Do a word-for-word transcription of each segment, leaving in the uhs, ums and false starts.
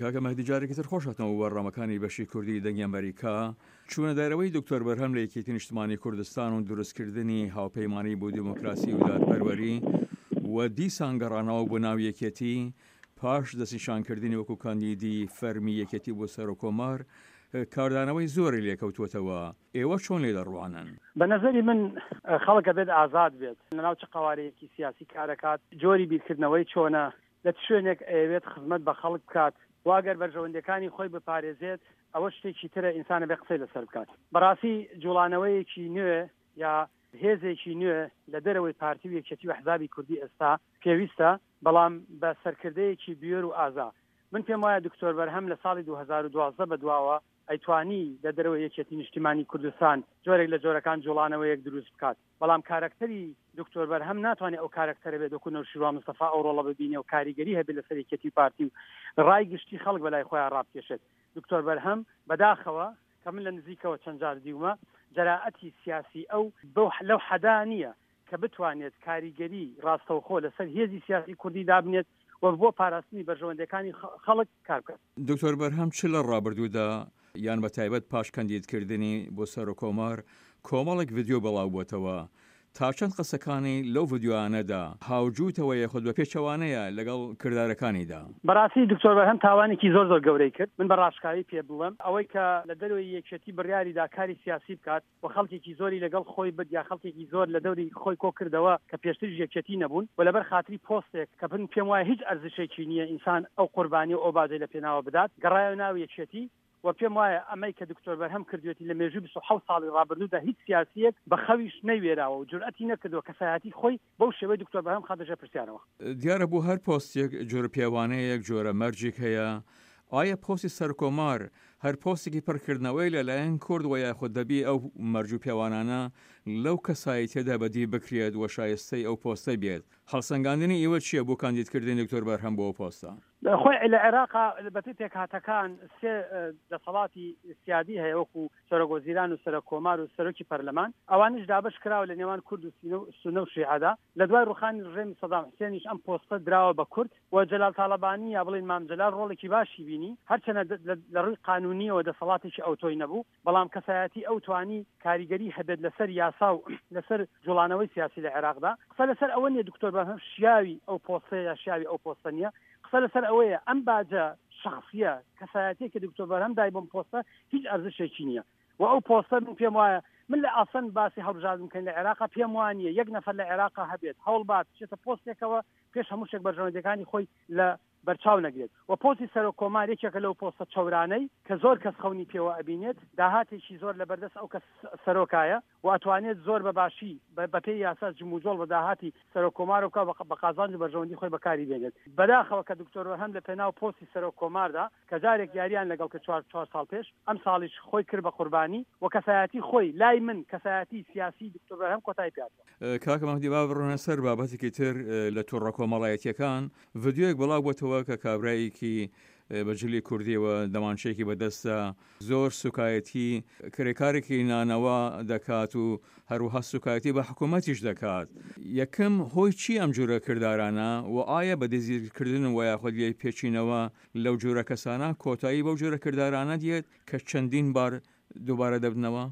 کاکە مەهدی جارێکی تر خۆش هاتنەوە بۆ بەرنامەکانی بەشی کوردی دەنگی ئەمریکا. چوونە دەرەوەی دکتۆر بەرهەم لە یەکێتی نیشتمانی کوردستان و دروستکردنی هاوپەیمانی بۆ دیموکراسی و دادپەروەری و دیسان گەڕانەوە بۆ ناو یەکێتی پاش دەستنیشانکردنی وەکو کاندیدی فەرمی یەکێتی بۆ سەرۆککۆمار کاردانەوەی زۆری لێکەوتووەتەوە. ئێوە چۆن لێ دەڕوانن؟ بە نەزەری من خەڵک ئەبێت ئازاد بێت لەناو چ قەوارەیەکی سیاسی کارەکات، جۆری بیرکردنەوەی چۆنە، لە چ شوێنێک ئەیەوێت خزمەت بە خەڵک بکات و ئەگەر بەرژەوەندیەکانی خۆی بپارێزێت ئەوە شتێکی ترە ئینسان ئەبێت قسەی لەسەر بکات. بەڕاستی جوڵانەوەیەکی نوێ یا هێزێکی نوێ لە دەرەوەی پارتی و یەکێتی و ئەحزابی کوردی ئێستا پێویستە، بەڵام بە سەرکردەیەکی بوێر و ئازا. من پێم وایە دکتۆر بەرهەم لە ساڵی دوو هەزار و دوازدە بەدواوە ئەیتوانی لە دەرەوەی یەکێتی نیشتیمانی کوردستان جۆرێک لە جۆرەکان جوڵانەوەیەک دروست بکات، بەڵام کارەکتەری دکتۆر بەرهەم ناتوانێت ئەو کارەکتەرە بێت وەکو نەوشیروان مستەفا ئەو ڕۆڵە ببینێ و کاریگەری هەبێت لەسەر یەکێتی و پارتی و ڕای گشتی خەڵک بەلای خۆیان ڕابکێشێت. دکتۆر بەرهەم بەداخەوە کە من لە نزیکەوە چەند جار دیومە جەرائەتی سیاسی ئەو بەو لەو حەدا نییە کە بتوانێت کاریگەری ڕاستەوخۆ لەسەر هێزی سیاسی کوردی دابنێت و بۆ پاراستنی بەرژەوەندیەکانی خەڵک کار بکات. دکتۆر بەرهەم چ لە ڕابردوودا یان بە تایبەت پاش کەندیدکردنی بۆ سەرۆککۆمار کۆمەڵێک ڤیدیۆ بڵاوبووەتەوە، تا چەند قسەکانی لەو ڤیدیۆیانەدا هاوجووتەوە یاخود بە پێچەوانەیە لەگەڵ کردارەکانیدا؟ بەڕاستی دکتۆر بەرهەم تاوانێکی زۆر زۆر گەورەی کرد، من بە ڕاشکاوی پێ بڵێم ئەوەی کە لە دەرەوەی یەکێتی بڕیاری دا کاری سیاسی بکات و خەڵکێکی زۆری لەگەڵ خۆی برد یا خەڵکێکی زۆر لە دەوری خۆی کۆ کردەوە کە پێشتریش یەکێتی نەبوون و لەبەر خاتری پۆستێک کە من پێم وایە هیچ ئەرزشێکی نییە ئینسان ئەو قوربانی و ئەو باجەی لە پێناوە بدات گەڕایەوە ناو یەکێتی و پێم وایە ئەمەی کە دکتۆر بەرهەم کردوێتی لە مێژووی بیست و حەوت ساڵی ڕابردوودا هیچ سیاسییەک بە خەویش نەیوێراوە و جورئەتی نەکردووە کەسایەتی خۆی بەو شێوەی دکتۆر بەرهەم خاتە ژێر پرسیارەوە. دیارە بۆ هەر پۆستێک جۆرە پێوانەیەک، جۆرە مەرجێک هەیە، ئایا پۆستی سەرکۆمار هەر پۆستێکی پڕکردنەوەی لەلایەن کورد وە یاخود دەبی ئەو مەرج و پێوانانە لەو کەسایەتیەدا بەدی بکرێت و شایستەی ئەو پۆستە بێت؟ هەڵسەنگاندنی ئیوە چیە بۆ کاندیدکردنی دکتۆر بەرهەم بۆ ئەو پۆستە؟ خۆی لە عێراقا بەپێی پێکهاتەکان سێ دەسەڵاتی سیادی هەیە وەکو سەرۆک وەزیران و سەرۆک کۆمار و سەرۆکی پەرلەمان، ئەوانیش دابەش کراوە لە نێوان کورد و سونە و شیعەدا. لە دوای ڕوخانی ڕژێمی سەدام حوسێنیش ئەم پۆستە دراوە بە کورد و جەلال تاڵەبانی یا بڵێین مام جەلال ڕۆڵێکی باشی بینی، هەرچەنە لە ڕووی قانونیەوە دەسەڵاتێکی ئەوتۆی نەبوو، بەڵام کەسایەتی ئەو توانی کاریگەری هەبێت لەسەر یاسا و لەسەر جوڵانەوەی سیاسی لە عێراقدا. قسە لەسەر ئەوە نییە دکتۆر بەرهەم شیاوی ئەو پۆستەیە یا شیاوی ئەو پۆستە نییە، قسە لەسەر ئەوەیە ئەم باجە شەخسیە کەسایەتیە کە دکتۆر بەرهەم دای بۆم پۆستە هیچ ئەرزشێکی نییە و ئەو پۆستە من پێم وایە من لە ئاسن باسی هەڵبژاردن بکەین لە عێراق پێم وانییە یەک نەفەر لە عێراق هەبێت هەوڵ بات بچێتە پۆستێکەوە پێش هەموو شتێک بەرژەوەندیەکانی خۆی لە بەرچاو نەگرێت و پۆستی سەرۆک کۆمار یەکێکە لەو پۆستە چەورانەی کە زۆر کەس خەونی پێوە ئەبینێت، داهاتێکی زۆر لەبەردەست ئەو کەس سەرۆکایە و ئەتوانێت زۆر بە باشی بەپێی یاسا جموجۆڵ بە داهاتی سەرۆک کۆمار بکا و بە قازانج و بەرژەوەندی خۆی بەکاری بێنێت. بەداخەوە کە دکتۆر بەرهەم لە پێناو پۆستی سەرۆک کۆماردا کە جارێک یاریان لەگەڵ کرد چوار چوار ساڵ پێش، ئەمساڵیش خۆی کرد بە قوربانی و کەسایەتی خۆی لای من کەسایەتی سیاسی دکتۆر بەرهەم کۆتایی پێهاتوە. کاکە مەهدی با بڕۆینە سەر بابەتێکی تر لە تۆڕە کۆمەڵایەتیەکان ڤیدیۆیەک بڵاو بۆتەوە کە کابرایەکی بە جلی کوردیەوە دەمانچەیەکی بەدەستە زۆر سوکایەتی کرێکارێکی نانەوا دەکات و هەروەها سوکایەتی بە حکوومەتیش دەکات. یەکەم هۆی چی ئەم جورە کردارانە و ئایا بە دەستگیرکردن و یاخود لێ پێچینەوە لەو جورە کەسانە کۆتایی بەو جورە کردارانە دێت کە چەندین بار دووبارە دەبنەوە؟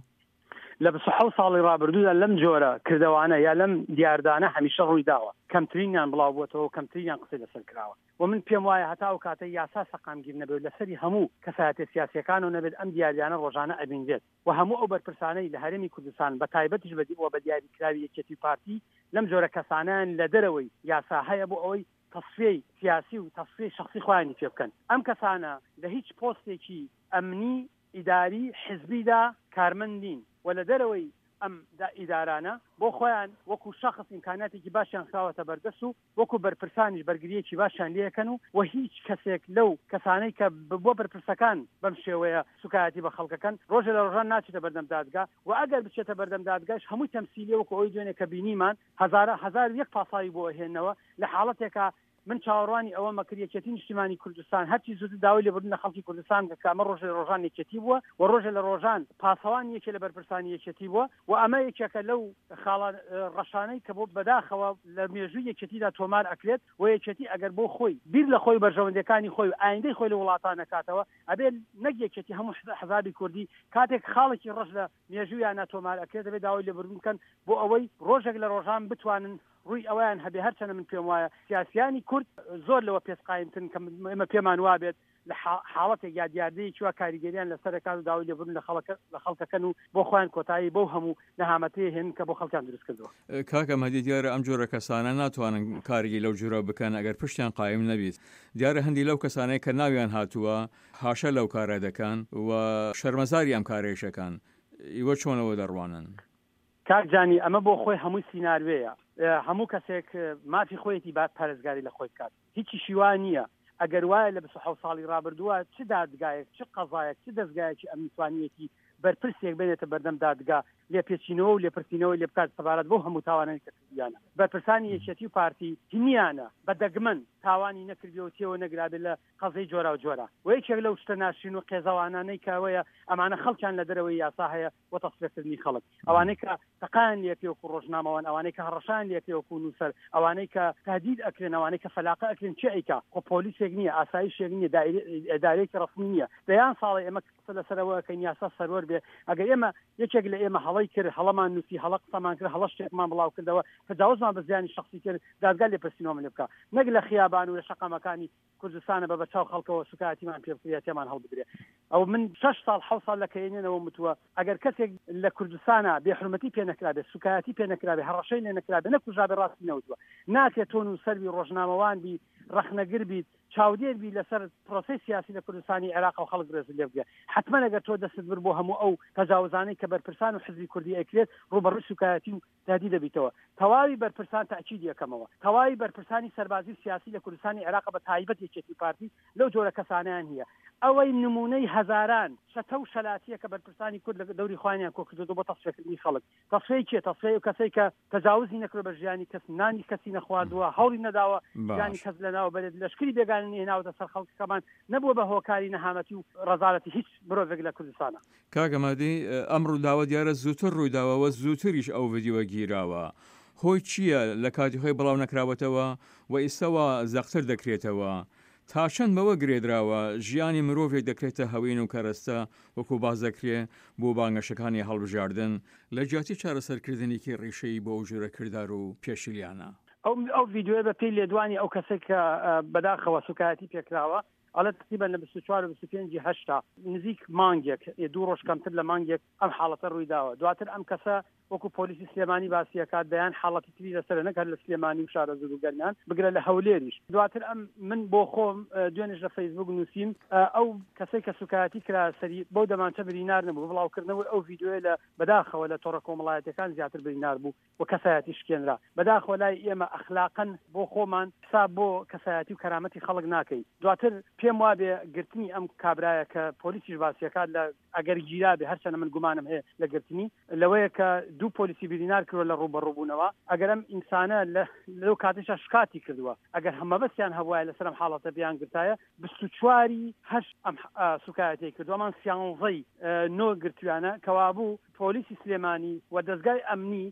لە بیست و حەوت ساڵی ڕابردوودا لەم جۆرە کردەوانە یا لەم دیاردانە هەمیشە ڕووی داوە، کەمترینیان بڵاو بووەتەوە و کەمترینیان قسەی لەسەر کراوە و من پێم وایە هەتا ئەو کاتەی یاسا سەقامگیر نەبێت و لەسەری هەموو کەسایەتیە سیاسیەکانەوە نەبێت ئەم دیاردانە ڕۆژانە ئەبینرێت و هەموو ئەو بەرپرسانەی لە هەرێمی کوردستان بە تایبەتیش و بە دیاریکراوی یەکێتی و پارتی لەم جۆرە کەسانەیان لە دەرەوەی یاسا هەیە بۆ ئەوەی تەسفیەی سیاسی و تەسفیەی شەخسی خۆیانی پێ بکەن. ئەم کەسانە لە هیچ پۆستێکی ئەمنی، ئیداری، حزبیدا کارمەند نین و لە دەرەوەی ئەم ئیدارانە بۆ خۆیان وەکو شەخس ئیمکانیاتێکی باشیان خراوەتە بەردەست و وەکو بەرپرسانیش بەرگرییەکی باشیان لێکەن و و هیچ کەسێک لەو کەسانەی کە بۆ بەرپرسەکان بەم شێوەیە سوکایەتی بە خەڵکەکەن ڕۆژێ لە ڕۆژان ناچێتە بەردەم دادگا و ئەگەر بچێتە بەردەم دادگاش هەمووی تەمسیلیە وەکو ئەوەی دوێنێ کە بینیمان هەزارە هەزار و یەک پاساوی بۆ ئەهێننەوە لە حاڵەتێکا من چاوەڕوانی ئەوەمە کرد یەکێتی نیشتیمانی کوردستان هەرچی زووتر داوای لێبوردن لە خەڵکی کوردستان بکات کە ئەمە ڕۆژێ لە ڕۆژان یەکێتی بووە و ڕۆژێ لە ڕۆژان پاسەوانی یەکێ لە بەرپرسانی یەکێتی بووە و ئەمە یەکێکە لەو خاڵە ڕەشانەی کە بۆ بەداخەوە لە مێژووی یەکێتیدا تۆمار ئەکرێت و یەکێتی ئەگەر بۆ خۆی بیر لە خۆی بەرژەوەندیەکانی خۆی و ئایندەی خۆی لە وڵاتان نەکاتەوە ئەبێ نەک یەکێتی هەموو حزابی کوردی کاتێک خاڵێکی ڕەش لە مێژوویانە تۆمار ئەکرێت دەبێت داوای لێبوردن بکەن بۆ ئەوەی ڕۆژێک لە ڕۆژان بتوانن ڕووی ئەوەیان هەبێ. هەرچەنە من پێم وایە سیاسیانی کورد زۆر لەوە پێستقایمترن کە ئێمە پێمان وابێت لە حاڵەتێک یا دیاردەیەکی وا کاریگەریان لەسەر ئەکات و داوای لێبوردن لە خەڵکەکەن و بۆ خۆیان کۆتایی بەو هەموو نەهامەتەیە هێنن کە بۆ خەڵکیان دروست کردووە. کاکە مەهدی دیارە ئەم جۆرە کەسانە ناتوانن کارێکی لەو جۆرە بکەن ئەگەر پشتیان قایم نەبیت. دیارە هەندی لەو کەسانەی کە ناویان هاتووە هاشە لەو کارە دەکەن و شەرمەزاری ئەم کارەیش ئەکەن. ئیوە چۆن ئەوە دەڕوانن؟ کاک جانی ئەمە بۆ خۆی هەمووی سیناروێیە. هەموو کەسێک مافی خۆیەتی با پارێزگاری لە خۆی بکات. هیچیشی وا نییە. ئەگەر وایە لە بیست و حەوت ساڵی ڕابردووە چ دادگایەک، چ قەزایەک، چ دەزگایەکی ئەمنی توانیویەتی بەرپرسێک بێنێتە بەردەم دادگا لێپێچینەوە و لێپرسینەوەی لێ بکات سەبارەت بەو هەموو تاوانەی کە کردویانە. بەرپرسانی یەکێتی و پارتی نییانە بە دەگمەن تاوانی نەکردبێ و تێوە نەگرابێ لە قەزیەی جۆراوجۆرا. و یەکێک لەو شتە ناشرین و قێزەوانانەی کە ئەوەیە ئەمانە خەڵکیان لە دەرەوەی یاسا هەیە بۆ تەسفیەکردنی خەڵک. ئەوانەی کە تەقایان لێکرێ وەکو ڕۆژنامەوان، ئەوانەی کە هەڕەشەیان لێکرێ وەکو نووسەر، ئەوانەی کە تهدید ئەکرێن، ئەوانەی کە فەلاقە ئەکرێن، کێ ئەیکا؟ خۆ پۆلیسێک نییە، ئاسایشێک نییە، ئیدارەیەکی ڕەسمی نییە. دەیان ساڵە ئێمە قسە لەسەر ئەوە ئەکەین یاسا سەروەر بێ. ئەگەر ئێمە یەکێک لە ئێمە هەڵەی کرد، هەڵەمان نووسی، هەڵە قسەمان کرد، هەڵە شتێکمان بڵاو کردەوە، تەجاوزمان بە زیانی شخصی کرد، دادگا لێپرسینەوەمان لێ بکا، نەک لە خیابان و لە شەقامەکانی کوردستانە بە بەرچاو خەڵکەوە سوکایەتیمان پێ بکرێ تێمان هەڵبدرێ. ئەو من شەش ساڵ حەوت ساڵ لە کەینێنەوە متووە ئەگەر کەسێک لە کوردستانە بێحرمەتی پێ نەکرابێ، سوکایەتی پێ نەکرابێ، هەڕەشەی لێ نەکرابێ، نەکوژرابێ، ڕاستی نەوتووە. ناکرێت تۆ نووسەر بی، ڕۆژنامەوان بی، ڕەخنەگر بیت، چاودێر بی لەسەر پرۆسەی سیاسی لە کوردستانی عێراق و خەڵک ڕێزت لێ بگرێ. حتمما ئەگەر تۆ دەستت بر بۆ هەموو ئەو تەجاوزانەی کە بەرپرسان و حزبی کوردی ئەکرێت، ڕووبەڕووی سوکایەتی و تهدید دەبیتەوە. تەواوی بەرپرسان تاکید یەکەمەوە، تەواوی بەرپرسانی سەربازی و سیاسی لە کوردستانی عێراق بە تایبەت یەکێتی پارتی لەو جۆرە کەسانیان هەیە. ئەوەی نمونەی هەزاران شەتە و شەلاتیە کە بەرپرسانی کورد لە دەوری خۆیانیان کۆ کردووە بۆ تەسفیەکردنی خەڵک. تەسفیەی کێ؟ تەسفیەی ئەو کەسەی کە تەجاوزی نەکردووە بە ژیانی کەس، نانی کەسی نەخواردووە، هەوڵی نەداوە ژیانی کەس لەناو بەرێت، لەشکری بێگانە نەهێناوەتە سەر خەڵکەکەمان، نەبووە بە هۆکاری نەهامەتی و ڕەزالەتی هیچ مرۆڤێک لە کوردستانە. کاکە مەهدی ئەم ڕووداوە دیارە زووتر ڕوویداوە و زووتریش ئەو ڤیدیۆ گیراوە، هۆی چییە لە کاتی خۆی بڵاو نەکراوەتەوە و ئیستا وا زەقتر دەکرێتەوە؟ تا چەند بەوە گرێدراوە ژیانی مرۆڤێک دەکرێتە هەوین و کەرەستە وەکو باس دەکرێ بۆ بانگەشەکانی هەڵبژاردن لە جیاتی چارەسەرکردنێکی ڕیشەیی بۆ ئەو جۆرە کردار و پێشیلیانە؟ ئەو ئەو ڤیدیۆیە بە پێی لێدوانی ئەو کەسێک کە بەداخەوە سوکایەتی پێکراوە ئەڵێ تقریبا لە بیست و چوار و بیست و پێنج هەشتا نزیک مانگێک دوو ڕۆژ کەمتر لە مانگێک ئەم حاڵەتە ڕوویداوە. دواتر ئەم کەسە وەکو پۆلیسی سلێمانی باسی ئەکات دەیان حاڵەتی تری لەسەرە، نەک هەر لە سلێمانی و شارەزوور و گەرمیان، بگرە لە هەولێریش. دواتر ئەم من بۆ خۆم دوێنێش لە فەیسبوک نووسیم ئەو کەسەی کە سوکایەتی کرا سەری بەو دەمانچە برینار نەبوو، بڵاوکردنەوەی ئەو ڤیدیۆیە لە بەداخەوە لە تۆڕە کۆمەڵایەتیەکان زیاتر برینار بوو و کەسایەتی شکێنرا. بەداخەوە لای ئێمە ئەخلاقەن بۆ خۆمان حساب بۆ کەسایەتی و کەرامەتی خەڵک ناکەین. دواتر پێم وابێ گرتنی ئەم کابرایە کە پۆلیسیش باسیەکات لە ئەگەر گیرابێ، هەرچەنە من گومانم هەیە لە گرتنی، لەوەیە کە دوو پۆلیسی برینار کردووە لە ڕووبەڕووبوونەوە. ئەگەر ئەم ئینسانە لەو کاتێشا شکاتی کردووە، ئەگەر هەمەبەستیان هەبوایە لەسەر ئەم حاڵەتە بیان گرتایە، بیست و چواری هەشت ئەم سوکایەتیەی کردووە، ئەمان سیانزەی نۆ گرتویانە. کەوابوو پۆلیسی سلێمانی و دەزگای ئەمنی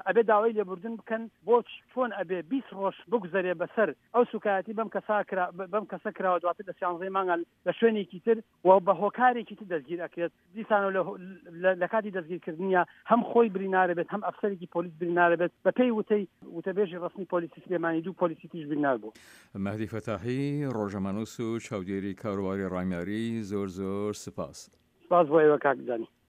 ئەبێ داوای لێبوردن بکەن. بۆ چۆن ئەبێ بیست ڕۆژ بگوزەرێ بەسەر ئەو سوکایەتی بەم کەسا کرا، بەم کەسە کراوە، دواتر لە سیانزەی مانگا لە شوێنێکی تر و بە هۆکارێکی تر دەستگیر ئەکرێت. دیسانەوە لە کاتی دەستگیرکردنیە هەم خۆی برینارە بێت، هەم ئەفسەرێکی پۆلیس برینارە بێت. بە پێی وتەی وتەبێژی ڕەسمی پۆلیسی سلێمانی دوو پۆلیسی تریش برینار بوو. مەهدی فەتاحی، ڕۆژنامەنووس و چاودێری کاروباری ڕامیاری، زۆر زۆر سپاس. سپاس بۆ ئێوە کاک جانی.